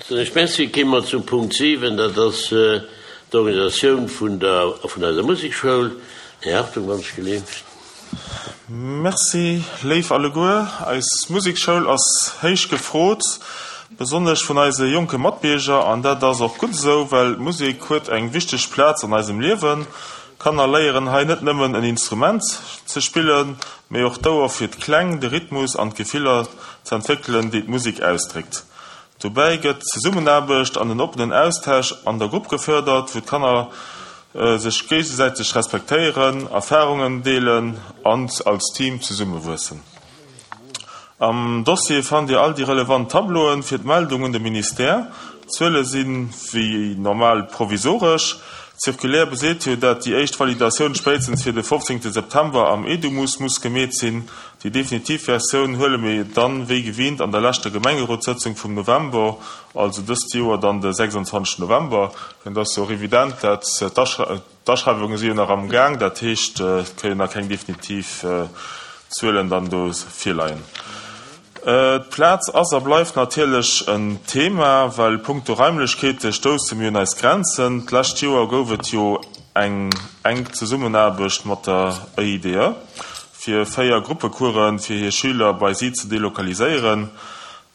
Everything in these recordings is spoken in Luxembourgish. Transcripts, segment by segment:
Soen ech Merci. Kéime mer zum Punkt 7, dat ass d'Organisatioun vun der, vun eiser Musekschoul. Här Hartung, wann ech geleeft. Merci, léif alleguer. Eis Musekschoul ass héich gefrot, besonnesch vun eise jonke Matbierger. An dat ass och gutt esou, well d'Musek huet eng wichteg Plaz an eisem Liewen. D'Kanner léieren hei net nëmmen en Instrument ze spillen, mee och d'Ouer fir d'Kläng, de Rhythmus an d'Gefiller z'entwéckelen, déi d'Musek ausdréckt. Dobäi gëtt d'Zesummenaarbecht an den oppenen Austausch an der Grupp gefërdert, wou d'Kanner sech géigesäiteg respektéieren, Erfarungen deelen an als Team zesummewuessen. Am Dossier fannt Dir all déi relevant Tableauen fir d'Meldung un de Ministère. D'Zuele si wéi normal provisoresch. D'Circulaire beseet jo, dat déi éischt Validatioun spéitstens fir de 15 September am Edumus muss gemeet sinn. Déi definitiv Versioun huele mir dann wéi gewinnt an der leschter Gemengerotssëtzung vum November, also dëst Joer dann de 26 November. Et ass jo och evident, dat d'Aschreiwunge si jo nach am Gaang, dat heescht et kënnen nach keng definitiv Zuelen dann do virleien. D'Plaz ass a bleift natierlech en Thema, well punkto Raimlechkeete stousse mir un eis Grenzen. D'lescht Joer gouf et jo eng enk Zesummenaarbecht mat der EIDE, fir 4 Gruppecoursen fir hir Schüler bei si ze delokaliséieren.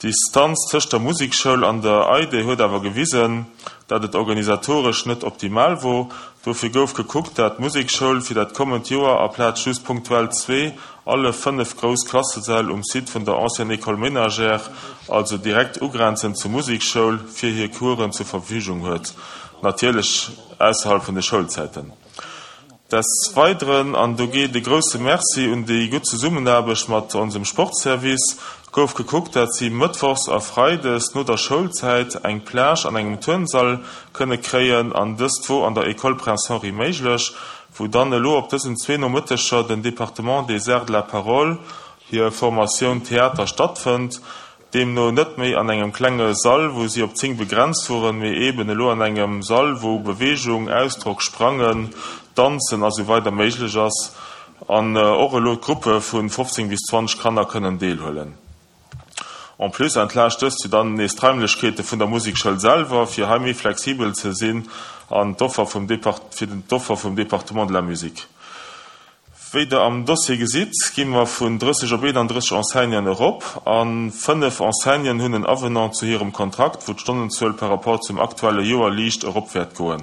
D'Distanz tëscht der Musekschoul an der EIDE huet awer gewisen, dat et organisatoresch net optimal wor. Dofir gouf gekuckt, dat d'Musekschoul fir dat kommend Joer aplaz just punktuell zwee alle 5 grouss Klassesäll um Site vun der Ancienne École Ménagère, also direkt ugrenzend zur Musekschoul, fir hir Coursen zur Verfügung huet, natierlech ausserhalb vun de Schoulzäiten. Des Weideren, an do geet e grousse Merci un déi gutt Zesummenaarbecht mat onsem Sportservice, gouf gekuckt, dat si mëttwochs a freides no der Schoulzäit eng Plage an engem Turnsall kënne kréien, an dëst wor an der École Prince Henri méiglech, wou dann elo op dësen zwee Nomëtteger den Département des Arts de la Parole hir Formatioun Theater stattfënnt. Deemno net méi an engem klenge Sall, wou si op 10 begrenzt woren, mee eben elo an engem Sall, wou Beweegung, Ausdrock, Sprangen, Danzen a sou weider méiglech ass an och elo d'Gruppe vu 15 bis 20 Kanner kënnen deelhuelen. En plus entlaascht dëst jo dann nees d'Raimlechkeete vun der Musekschoul selwer, fir hei méi flexibel ze sinn an d'Offer vum fir d'Offer vum Département de la musique. Wéi der am Dossier gesitt, gi mer vun 30 op 31 Enseignanten erop a 5 Enseignanten hunn en Avenant zu hirem Kontrakt, wou d'Stonnenzuel par rapport zum aktuelle Joer liicht erop wäert goen.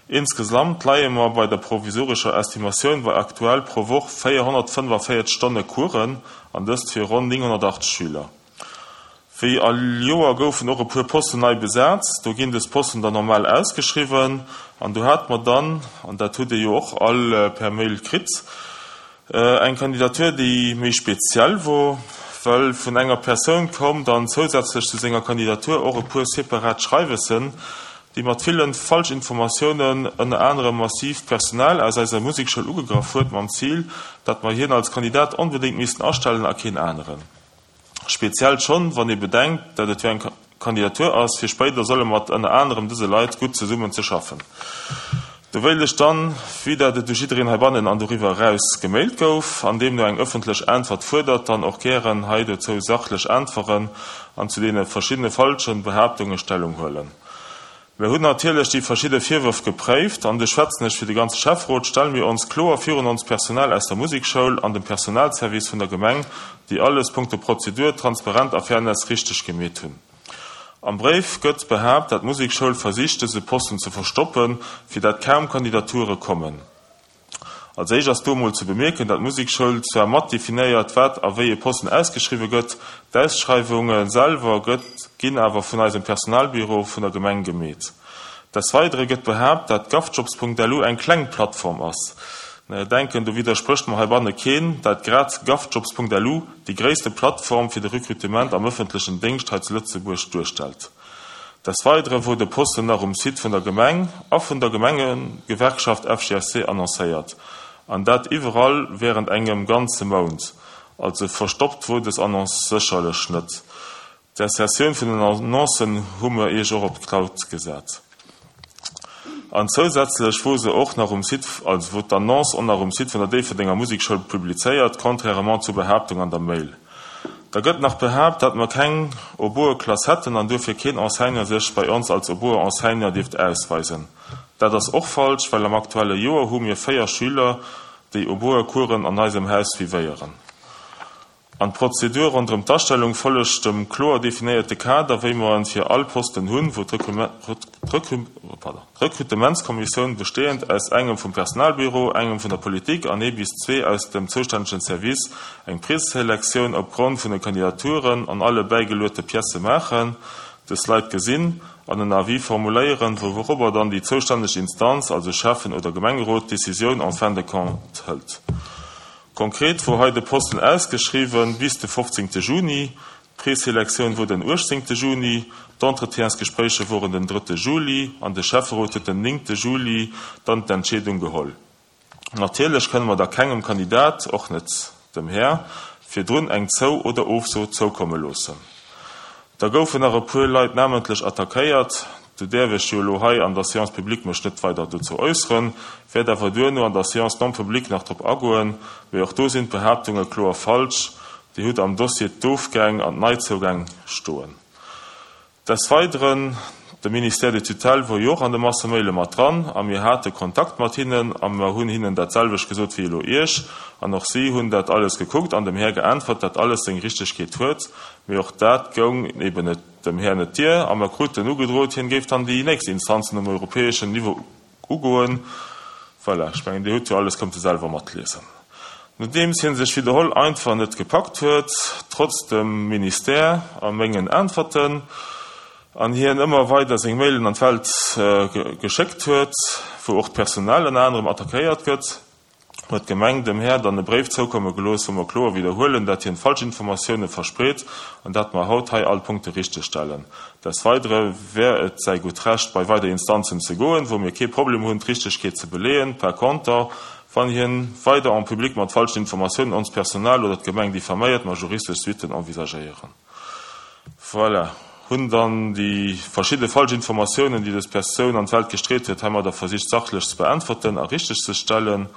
Insgesamt leie mer bei der provisorescher Estimatioun bei aktuell pro Woch 445 Stonne Coursen, an dëst fir ronn 980 Schüler. Wéi all Joer goufen och e puer Posten nei besat. Do ginn des Posten dann normal ausgeschriwwen. An do hate mer dann, an dat hutt Dir jo och all per Mail kritt, eng Kandidatur, déi méi speziell wor, well vun enger Persoun koum dann zousätzlech zu senger Kandidatur och e puer separat Schreiwessen, déi mat villen Falschinformatiounen ënner anerem massiv d'Personal aus eiser Musekschoul ugegraff huet, mam Zil, datt mer hien als Kandidat onbedéngt missten astellen a keen aneren. Speziell schonn, wann ee bedenkt, dat et jo eng Kandidatur ass, fir spéider solle mat ënner anerem dëse Leit gutt zesummen ze schaffen. Do wéilt ech dann, vue dat et u jiddereen heibannen an doriwwer eraus gemailt gouf, an deemno eng ëffentlech Äntwert fuerdert, dann och gären hei dozou sachlech äntweren an zu deene verschiddene falsche Behaaptunge Stellung huelen. Mir hunn natierlech déi verschidde Virwërf gepréift, an do schwätzen ech fir de ganze Schäfferot, stelle mir ons kloer virun onst Personal aus der Musekschoul an dem Personalservice vun der Gemeng, déi alles punkto Prozedur, Transparent a Fairness richteg gemeet hunn. Am Bréif gëtt behaapt, dat d'Musekschoul versicht dëse Posten ze verstoppen, fir dat kaum Kandidature kommen. Als éischt ass do emol ze bemierken, dat d'Musekschoul zwar mat definéiert, wat a wéi e Posten ausgeschriwwe gëtt, d'Ausschreiwunge selwer gëtt ginn awer vun eisem Personalbüro vun der Gemeng gemeet. Desweidere gëtt behaapt, dat govjobs.lu eng kleng Plattform ass. Denken, do widdersprécht mer heibanne keen, dat grad govjobs.lu déi gréisste Plattform fir de Recrutement am ëffentlechen Déngscht hei zu Lëtzebuerg duerstellt. Des Weidere wor de Posten nach um Site vun der Gemeng a vun der Gemengegewerkschaft FGSC annoncéiert, an dat iwwerall während engem ganze Mount. Also verstoppt wor des Annonce sécherlech net. D'Insertioun vun den Annoncen hu mer iech och op d'Cloud gesat. An zousätzlech wor se och nach um Site, also wor d'Annonce och nach um Site vun der Déifferdenger Musekschoul publizéiert, contrairement zur Behaaptung an der Mail. Da gëtt nach behaapt, dat mer keng Oboe-Klass hätten an duerfir keen Enseignant sech bei ons als Oboe-Enseignant dierft ausweisen. Dat ass och falsch, well am aktuelle Joer hu mir 4 Schüler, déi Oboe-Coursen an eisem Haus suivéieren. An d'Prozedur ronderëm d'Astellung follegt dem kloer definéierte Kader, wéi mer en fir all Posten hunn, wou d'Rekrutementskommissioun, besteeënd aus engem vum Personalbüro, engem vun der Politik an ee bis zwee aus dem zoustännegen Service, eng Preselektioun opgrond vun de Kandidaturen an alle bäigeluete Piècë maachen, dës Leit gesinn an en Avis formuléieren, wourobber dann déi zoustänneg Instanz, also Schäffen oder Gemengerot, d'Decisioun en fin de compte hëlt. Konkret wor hei de Posten ausgeschriwwen bis de 15 Juni, d'Preselektioun wor den 18 Juni, d'Entretiensgespréicher woren den 3 Juli an de Schäfferot huet den 9 Juli dann d'Entscheedung geholl. Natierlech kënne mer da kengem Kandidat, och net dem Här, virdrun eng Zou oder Ofso zoukomme loossen. Da goufen nach e puer Leit namentlech attackéiert. Do däerf ech jo elo hei an der Séance publique mech net weider dozou äusseren, wäert awer duerno an der Séance non publique nach drop agoen. Mee och do sinn d'Behaaptunge kloer falsch. Dir hutt am Dossier d'Ofgäng an d'Neizougäng stoen. Des Weideren, de Ministère de tutelle wor jo och an de Massemaile mat dran a mir hate Kontakt mat hinnen a mer hunn hinnen dat selwecht gesot wéi elo Iech an och si hunn dat alles gekuckt an dem Här geäntwert, dat alles seng Richtegkeet huet. Mee och dat goung eben net dem Här net dier a mer kruten ugedrot, hien géif dann déi nächst Instanzen um europäeschen Niveau ugoen. Voilà, ech mengen, Dir hutt jo alles kënnte selwer matliesen. Nodeems hie sech widderholl einfach net gepackt huet, trotz dem Ministère a mengen Äntwerten, an hien ëmmer weider seng Mailen an d'Welt geschéckt huet, wou och d'Personal ënner anerem attackéiert gëtt, huet d'Gemeng dem Här dann e Bréif zoukomme gelooss, wou mer kloer widderhuelen, dat hien Falschinformatioune verspreet an dat mer haut hei all Punkte richtegstellen. Des Weidere wär et säi gutt Recht, bei weider Instanzen ze goen, wou mir kee Problem hunn, d'Richtegkeet ze beleeën. Par conter, wann hien weider en public mat falschen Informatiounen onst Personal oder d'Gemeng diffaméiert, mer juristesch Suitten envisagéieren. Voilà, hunn dann déi verschidde falsch Informatiounen, déi dës Persoun an d'Welt gestreet huet, heimadder versicht sachlech ze beäntwerten a richtegzestellen.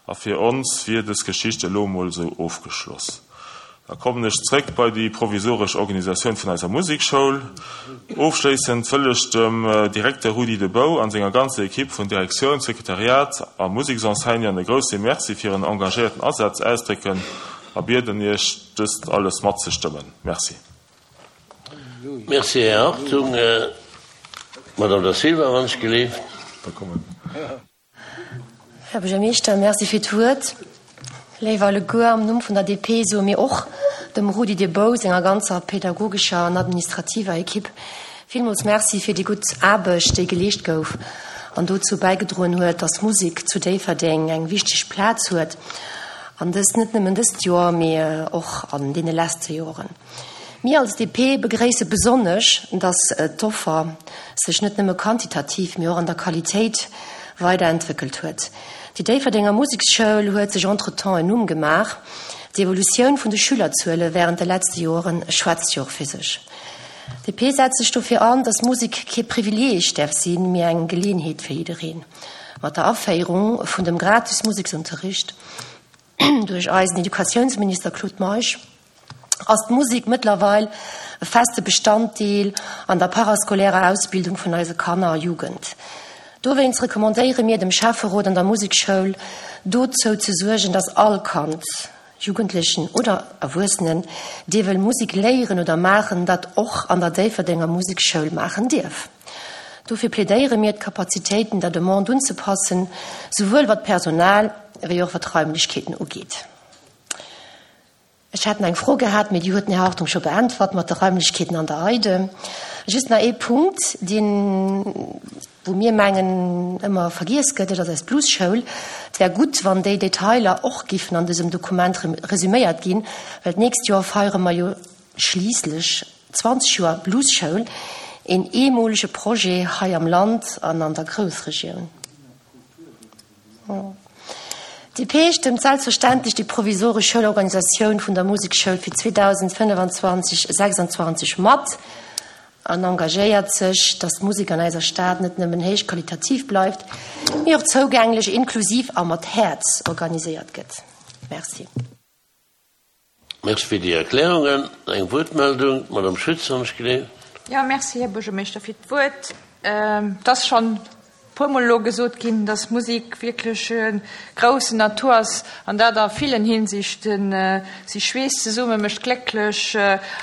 A fir ons wier dës Geschicht elo emol esou ofgeschloss. Da kommen ech zréck bei déi provisoresch Organisatioun vun eiser Musekschoul. Ofschléissend wëll ech dem Direkter Rudi De Bouw an senger ganzer Equipe vun Direktioun, Sekretariat a Museksenseignanten e grousse Merci fir hiren engagéierten Asaz ausdrécken a bieden Iech, dëst alles matzestëmmen. Merci. Merci, Här Hartung. Madame Da Silva, wann ech geleeft. Här Buergermeeschter, Merci fir d'Wuert. Léif alleguer, am Numm vun der DP soe mir och dem Rudi De Bouw, senger ganzer pädagogescher an administrativer Equipe villmools Merci fir déi gutt Aarbecht, déi geleescht gouf an dozou bäigedroen huet, dass Musek zu Déifferdeng eng wichteg Plaz huet. An dëst net nëmmen dëst Joer, mee och an deene leschte Joren. Mir als DP begréisse besonnesch, dass d'Offer sech net nëmme quantitativ, mee och an der Qualitéit weiderentwéckelt huet. Déi Déifferdenger Museksschoul huet sech entretemps en Numm gemaach. D'Evolutioun vun de Schülerzuele wärend de letzte Joren schwätzt jo och fir sech. DP setzt sech dofir an, dass Musek kee Privileeg däerf sinn, mee eng Geleeënheet fir jiddereen. Mat der Aféierung vun dem gratis Museksunterricht duerch eisen Educatiounsminister Claude Meisch ass d'Musek mëttlerweil e feste Bestanddeel an der parascolairer Ausbildung vun eise Kanner a Jugend. Dowéinst recommandéiere mir dem Schäfferot an der Musekschoul, dozou ze suergen, dass all Kand, Jugendlechen oder Erwuessenen, dee wëll Musek léieren oder maachen, dat och an der Déifferdenger Musekschoul maachen dierf. Dofir plädéiere mir, d'Kapazitéiten der Demande unzepassen, souwuel wat d'Personal wéi och wat d'Raimlechkeeten ugeet. Ech hat nach eng Fro gehat, mee déi huet den Här Hartung scho beäntwert mat de Raimlechkeeten an der EIDE. Just nach ee Punkt, deen, wou mir mengen, ëmmer vergiess gëtt, dat ass eis Bluesschoul. Et wär gutt, wann déi Detailer och giffen an dësem Dokument resüméiert ginn, well d'nächst Joer feiere mer jo schliisslech 20 Joer Bluesschoul, een eemolege Projet hei am Land an an der Groussregioun. DP stëmmt selbstverständlech déi provisoresch Schoulorganisatioun vun der Musekschoul fir 2025, 26 mat an engagéiert sech, datt d'Musek an eiser Stad net nëmmen héich qualitativ bleift, mee och zougänglech, inklusiv a mat Häerz organiséiert gëtt. Merci. Merci fir déi Erklärungen. Eng Wuertmeldung, d'Madame Schütz, wann ech gleef. Jo, merci, Här Buergermeeschter, fir d'Wuert. Et ass schonn e puermol elo gesot ginn, dass Musek wierklech e groussen Atout ass, an dat a villen Hinsichten. Si schweesst zesummen, mécht glécklech,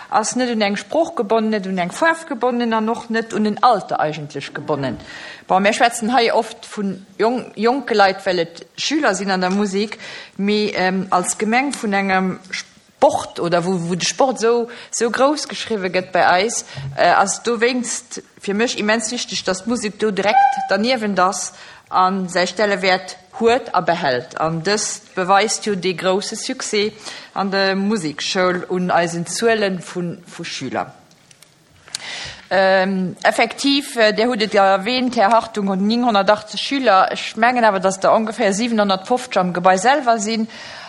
ass net un eng Sprooch gebonnen, net un eng Faarf gebonnen an och net un en Alter eigentlech gebonnen. Bon, mir schwätzen hei oft vu jonke Leit, well et Schüler sinn an der Musek, mee als Gemeng vun engem Sport oder wou de Sport esou esou grouss geschriwwe gëtt bei eis, ass et dowéinst fir mech immens wichteg, datt d'Musek do direkt derniewent ass a säi Stellewäert huet a behält. An dëst beweist jo dee grousse Succès an der Musekschoul un eisen Zuele vu Schüler. Effektiv, Dir hutt et erwähnt, Här Hartung, 980 Schüler. Ech mengen awer, dass der ongeféier 750 am Gebai selwer si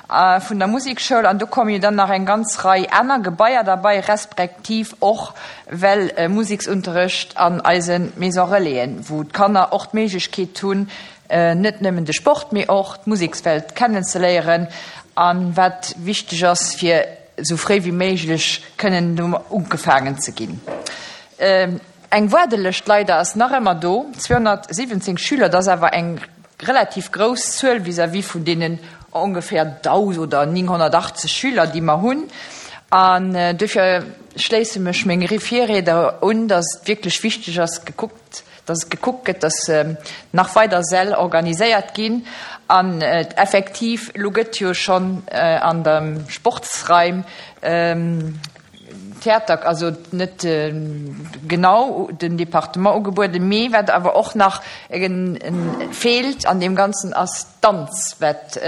vun der Musekschoul. An do komme jo dann nach eng ganz Rei aner Gebaier derbei, respektiv och well Museksunterrecht an eise Maison-relaisen, wou d'Kanner och d'Méiglechkeet hunn, net nëmmen de Sport, mee och d'Musekswelt kennenzeléieren. A wat wichteg ass fir esou fréi wéi méiglech kënnen domat ugefaangen ze ginn. Eng Waardelëscht leider ass nach ëmmer do, 217 Schüler, dat ass awer eng relativ grouss Zuel vis-à-vis vun deenen ongeféier 1.000 oder 980 Schüler, déi mer hunn. An duerfir schléisse mech menge Virrieder un, dass et wierklech wichteg ass, gekuckt dass et gekuckt gëtt, dass nach weider Säll organiséiert ginn an effektiv, elo gëtt jo schonn an de Sportsraim Theater, also net genau den Departement ugebueden, mee wat awer och nach feelt an deem Ganzen ass Danz, wat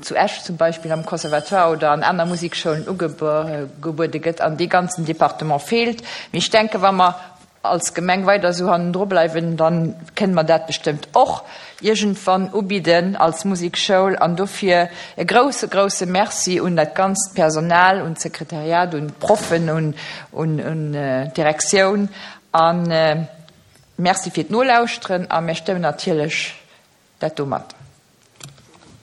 zu Esch zum Beispill am Conservatoire oder an aner Musikschoulen ugebuede gëtt an dee ganzen Departement feelt. Mee ech denke wa mer als Gemeng weider esou hannendru bleiwen, da kënne mer dat bestëmmt och iergendwann ubidden als Musekschoul. An dofir e grouse, grouse Merci un dat ganzt Personal, un d'Sekretariat, un d'Proffen, un d'Direktioun a Merci fir d'Nolauschteren a mir stëmmen natierlech dat do mat.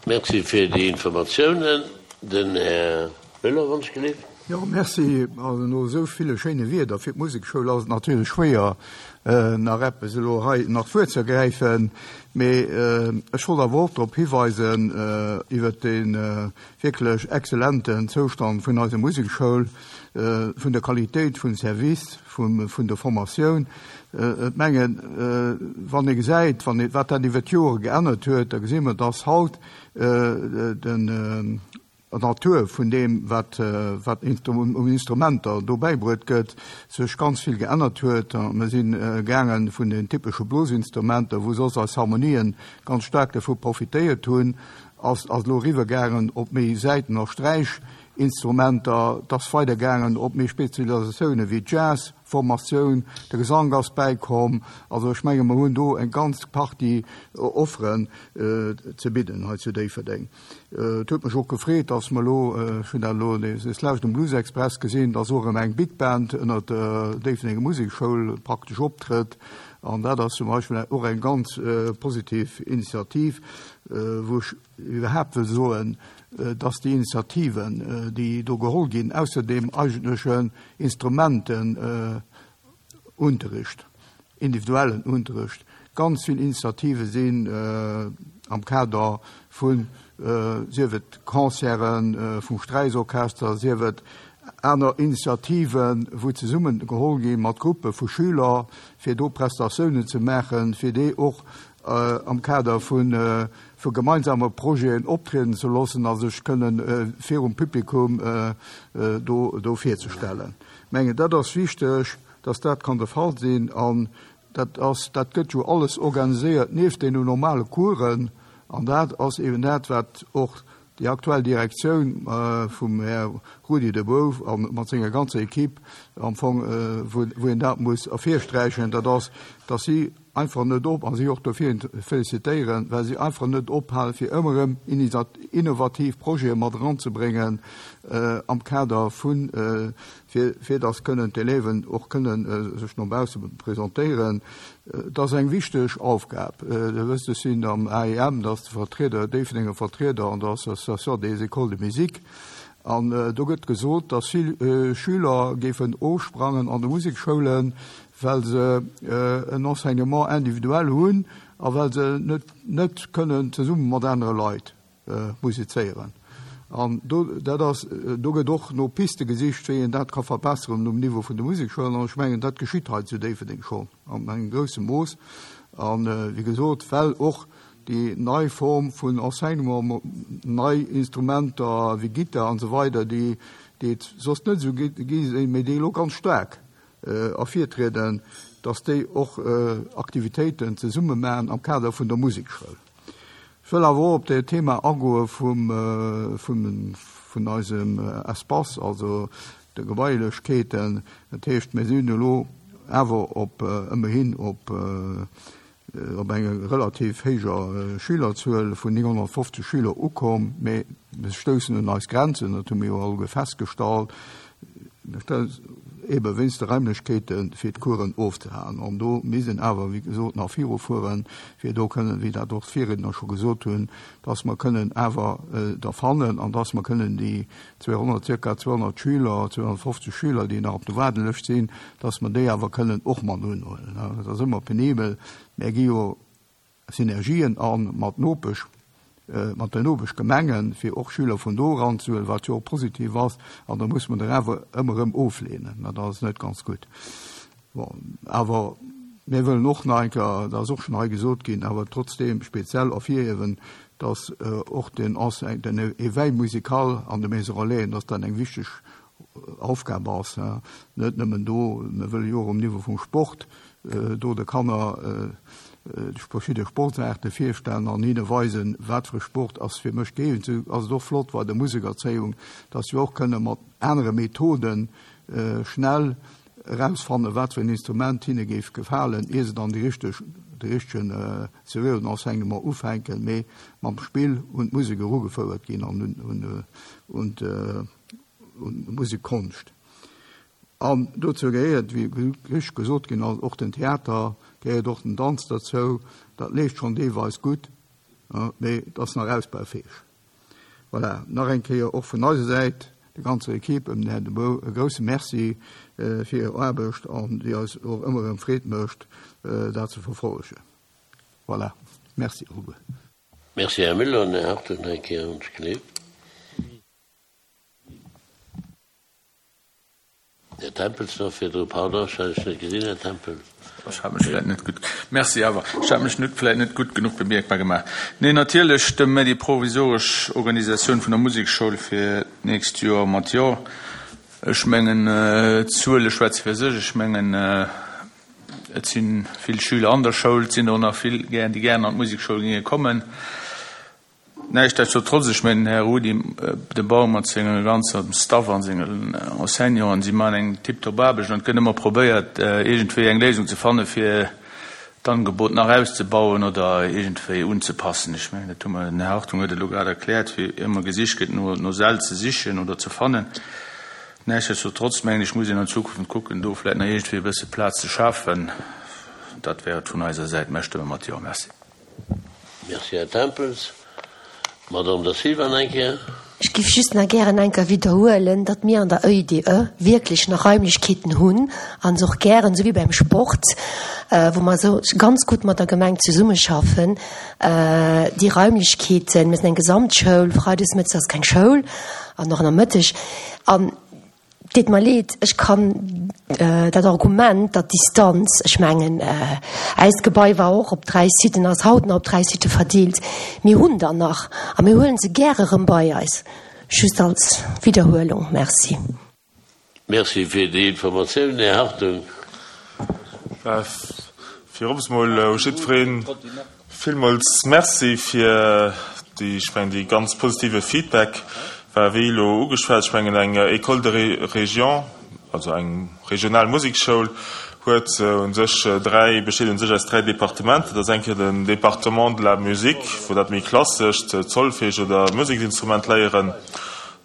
Merci fir déi Informatiounen. Den Här Müller, wann ech gelift. Jo, merci. Also no esou ville schéine Wierder fir d'Musekschoul ass et natierlech schwéier, nach eppes elo hei nach d'Wuert ze ergräifen. Mee ech wollt awer och drop hiweisen, iwwert dee wierklech exzellenten Zoustand vun eiser Musekschoul, vun der Qualitéit vum Service, vun der Formatioun. Ech mengen, wann ee gesäit, wann ee, wat dat iwwer d'Jore geännert huet, da gesi mer, dass haut den d'Natur vun deem, wat, wat un Instrumenter do bäibruet gëtt, sech ganz vill geännert huet. Mir si gaange vun den typesche Blosinstrumenter, wou soss eis Harmonien ganz staark dervu profitéiert hunn, ass elo eriwwergaangen op méi Säiten a Sträichinstrumenter. Et ass weidergaangen op méi Spezialisatiounen wéi Jazz-Formatioun, de Gesank ass bäikomm. Also ech menge mer hunn do eng ganz Partie Offeren ze bidden hei zu Déifferdeng. Et huet mech och gefreet, dass mer elo, ech hunn dat elo deslescht um Blues Express gesinn, dass och erëm eng Big Band ënnert der Déifferdenger Musekschoul praktesch optrëtt. An dat ass zum Beispill och eng ganz positiv Initiativ, wou ech iwwerhaapt wëll soen, dass déi Initiativen, déi do geholl ginn, ausser deem eigentlechen Instrumentenunterricht, individuellen Unterricht, ganz vill Initiative sinn am Kader vun, sief et Concerte vum Sträichorchester, sief et aner Initiativen, wou zesummen geholl gi mat Gruppe vu Schüler, fir do Prestatiounen ze maachen, fir déi och am Kader vu gemeinsame Projeten optrieden ze loossen a sech kënnen virum Publikum do virzestellen. Ech mengen, dat ass wichteg, dass dat kann de Fall sinn. An dat ass, dat gëtt jo alles organiséiert nieft deenen normale Coursen. An dat ass eben dat, wat och déi aktuell Direktioun vum Här Rudi De Boeuf a mat senger ganzer Equipe am Fong, wou een dat muss ervirsträichen, dat ass, dass si einfach net op, a si och dofir félicitéieren, well si einfach net ophalen, fir ëmmer erëm innovativ Projete mat eranzebréngen am Kader vun, fir, fir dass kënnen d'Élèven och kënnen sech no bausse presentéieren. Et ass eng wichteg Aufgab. Dir wësst, ech sinn am AEM, dat ass de Vertrieder, Déifferdenger Vertrieder an der Association des écoles de musique. An do gëtt gesot, dass vill Schüler géifen ofsprangen an de Musekschoulen, well se en Enseignement individuel hunn a well se net net kënnen zesumme mat anere Leit musizéieren. An do, dat ass, do gëtt och no Piste gesicht, wéi een dat ka verbesseren um Niveau vun de Musekschoulen. An ech mengen, dat geschitt hei zu Déifferdeng schonn an engem grousse Mooss. An, wéi gesot, well och déi nei Form vun Enseignement, nei Instrumenter wéi Gittar an esou weider, déi déi et soss net esou gi sinn, mee déi elo ganz staark ervirtrieden, dass déi och Aktivitéiten zesumme maachen am Kader vun der Musekschoul. Ech wëll awer och op dat Thema agoe vum vun eisem Espace, also de Gebailechkeeten. Dat heescht, mir sinn elo awer op ëmmerhin op op enger relativ héijer Schülerzuel vun 950 Schüler ukomm, mee mir stoussen un eis Grenzen, dat hu mir jo alleguer festgestallt, ebe wéinst de Raimlechkeete fir d'Coursen ofzehalen. An do misst een awer, wéi gesot, nach virufueren, fir do kënnen, wéi dat och d'Virriedner scho gesot hunn, dass mer kënnen awer der fannen an dass mer kënnen déi 200, zirka 200 Schüler, 250 Schüler, déi nach op der Waardelëscht sinn, dass mer déi awer kënnen och mat unhuelen. Dat ass ëmmer penibel. Mär gi jo Synergien a mat Nopesch, mat den Nopeschgemengen, fir och Schüler vun do eranzehuelen, wat jo och positiv ass. An da muss mer der awer ëmmer erëm ofleenen. Dat ass net ganz gutt. Bon, awer mir wëllen och nach eng Kéier, dat ass och schonn hei gesot ginn, awer trotzdeem speziell ervirhiewen, dass och den Enseigne, den Éveil musical an de Maisons Relaisen, dass dat eng wichteg Aufgab ass, net nëmmen do, mir wëlle jo och um Niveau vum Sport do de Kanner verschidde Sportsaarte virstellen an hinne weisen, wat fir e Sport ass fir mech gëeegent. Esou ass et och flott bei der Musekerzéiung, dass wir och kënne mat anere Methoden schnell erausfannen, wat fir en Instrument hinne géif gefalen, ier se dann déi richteg, de richtegen seriöen Enseignement ufänken, mee mam Spill un d'Musek erugefouert ginn an un, un, un d'Musekkonscht. An dozou gehéiert, wéi richteg gesot ginn ass, och den Theater, gehéiert och den Danz derzou. Dat leeft schonn deelweis gutt, mee et ass nach ausbaufäeg. Voilà, nach eng Kéier och vun eiser Säit der ganzer Equipe ëm den Här De Bouw e grouse Merci fir hir Aarbecht an déi eis och ëmmer erëm Freed mécht, dat ze verfollegen. Voilà, Merci alleguer. Merci, Här Müller. An Här Hartung nach eng Kéier ons gleeft. Här Tempels nach virdru, pardon, ech hat Iech net gesinn, Här Tempel. Ech hat mech vläit net gutt, Merci awer, ech hat mech net vläit net gutt genuch bemierkbar gemaach. Nee, natierlech stëmme mir déi provisoresch Organisatioun vun der Musekschoul fir d'nächst Joer mat Jo. Ech mengen, d'Zuele schwätze fir sech. Ech mengen, et si vill Schüler an der Schoul, et sinn der och nach vill, déi gären an d'Musekschoul géinge kommen. Näischtdestotrotz, ech mengen, den Här Rudi De Baum mat sengem ganze Staff a sengen Enseignanten, si maachen eng tiptop Aarbecht an et gëtt ëmmer probéiert, iergendwéi eng Léisung ze fannen, fir d'Angebot nach auszebauen oder iergendwéi unzepassen. Ech mengen, dat hu mer, den Här Hartung huet et elo grad erkläert, wéi ëmmer gesicht gëtt, no Säll ze sichen oder ze fannen. Näischtdestotrotz mengen ech, muss een an Zukunft kucken, do vläicht nach iergendwéi e bësse Plaz ze schafen. Dat wär et vun eiser Säit. Mär stëmme mat Jo. Merci. Merci, Här Tempels. Madamm Da Silva nach eng Kéier. Ech géif just nach gären eng Kéier widderhuelen, datt mir an der ÖIDE wierklech nach Raimlechkeeten hunn a se och gären, esou wéi beim Sport, wou mer esou ganz gutt mat der Gemeng zesummeschaffen, déi Raimlechkeeten, mir sinn eng Gesamtschoul, freides mëttes ass keng Schoul an och nomëtteg, an Deet mer leed, ech kann dat Argument, datt d'Distanz, ech mengen, äist Gebai war och op 3 Siten, ass haut nach op 3 Sitë verdeelt, mir hunn der nach a mir huele se gäre erëm bei eis. Just als Widderhuelung. Merci. Merci fir déi Informatioun, Här Hartung. Virops mol u jiddwereen villmools Merci fir déi, ech mengen, déi ganz positive Feedback. War wéi elo ugeschwat, ech mengen eng École de région, also eng regional Musekschoul huet u sech dräi, besteet u sech aus dräi Departementer. Dat ass eng Kéier den Département de la musique, wou dat méi klassescht Solfège oder Museksinstrument léieren.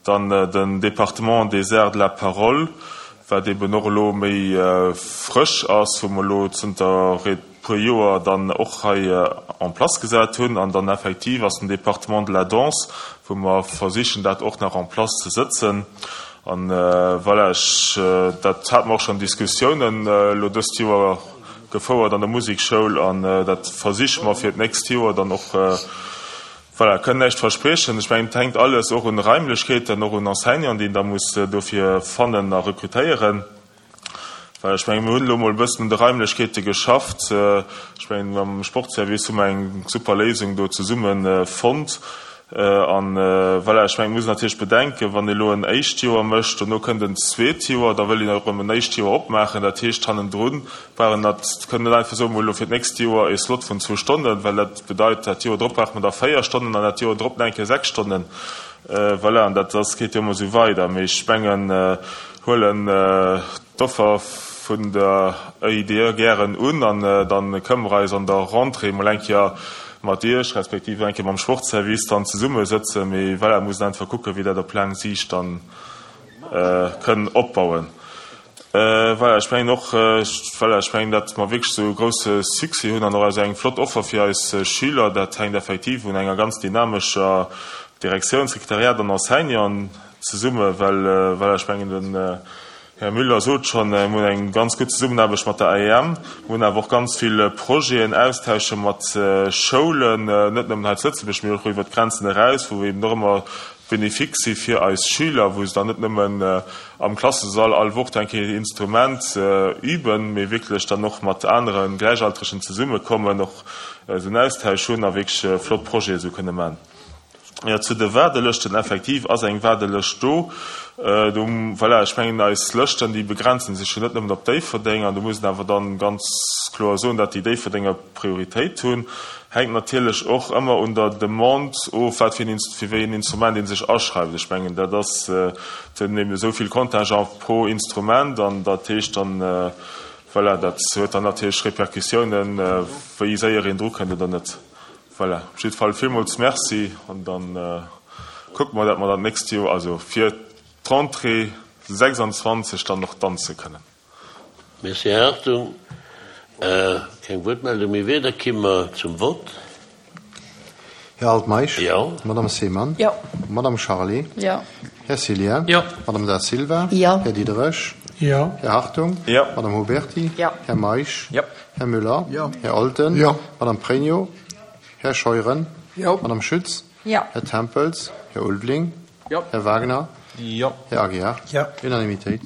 Dann den Département des arts de la parole, wat eben och elo méi frësch ass, wou mer elo zënter. puer Joer dann och hei en place gesat hunn. An dann effektiv ass den Département de la danse, wou mer versichen, dat och nach en place ze sëtzen. An voilà, ech, dat hate mer och schonn Diskussiounen elo dëst Joer gefouert an der Musekschoul an dat versiche mer fir d'nächst Joer dann och, voilà, kënnen näischt verspriechen. Ech mengen, et hänkt alles och un Raimlechkeeten, och un Enseignanten, déi een da muss dofir fannen a rekrutéieren. Well ech mengen, mir hunn elo emol e bëssen un de Raimlechkeete geschafft. Ech mengen, mam Sportservice hu mer eng super Léisung do zesumme fonnt. An voilà, ech mengen, et muss een natierlech bedenken, wann ee elo en éischt Joer mécht, dono kënnt en zweet Joer, da wëll een och erëm en éischt Joer opmaachen. Dat heescht, hannendru brauch een dat, kënnt net einfach soen, mir hu elo fir d'nächst Joer e Slot vun zwou Stonnen, well dat bedeit, dat Joer drop brauche mer da véier Stonnen an dat Joer drop nach eng Kéier sechs Stonnen. Voilà, an dat ass, geet jo ëmmer esou weider. Mee ech mengen, huelen d'Offer vun der EIDE gären un an dann kënnen mer eis an der Rentrée mol eng Kéier mat Iech, respektiv eng Kéier mam Sportservice dann zesummesëtzen. Mee voilà, mussen einfach kucken, wéi dat op laang Siicht dann kënn opbauen. Voilà, ech mengen och, voilà, ech mengen, datt mer wierklech esou e grouse Succès hunn an och esou eng flott Offer fir eis Schüler, dat hänkt effektiv un enger ganz dynamescher Direktioun, Sekretariat an Enseignanten zesumme, well, voilà, ech mengen, den Här Müller sot schonn, mir hunn eng ganz gutt Zesummenaarbecht mat der AEM, mir hunn awer och ganz vill Projeten, Austausche mat Schoulen, net nëmmen hei zu Lëtzebuerg, mee och iwwert d'Grenzen eraus, wou eben och ëmmer bénéfique si fir eis Schüler, wou se dann net nëmmen am Klassesall all Woch eng Kéier Instrument üben, mee wierklech dann och mat anere Gläichaltregen zesummekommen, och esou en Austausch hunn a wierklech flott Projete esou kënne man. Jo, zu de Waardelëschten, Effektiv ass eng Waardelëscht do. Do, voilà, ech mengen, eis Lëschten, déi begrenze sech jo net nëmmen op Déifferdeng. An do muss een awer dann ganz kloer soen, datt déi Déifferdenger Prioritéit hunn. Hänkt natierlech och ëmmer un der Demande of, wat fir een, fir wéi een Instrument ee sech aschreift. Ech mengen, dat ass, et sinn eben esou vill Contingent pro Instrument an dat heescht dann, voilà, dat huet dann natierlech Répercussiounen, wéi séier een drukënnt oder net. Voilà, op jidde Fall villmools Merci an dann kucke mer, dat mer dann d'nächst Joer, also fir d'Rentrée 26 dann och danze kënnen. Merci, Här Hartung. Keng Wuertmeldung méi. Wieder ki mer zum Vott. Här Altmeisch. Jo. Madame Seemann. Jo. Madame Charlé. Jo. Här Cillien. Jo. Madame Da Silva. Jo. Här Diderich. Jo. Här Hartung. Jo. Madame Huberty. Jo. Här Meisch. Jo. Här Müller. Jo. Här Olten. Jo. Madame Pregno. Här Scheuren. Jo. Madame Schütz. Jo. Här Tempels. Här Ulveling. Jo. Här Wagner. Jo. Här Aguiar. Jo. Unanimitéit.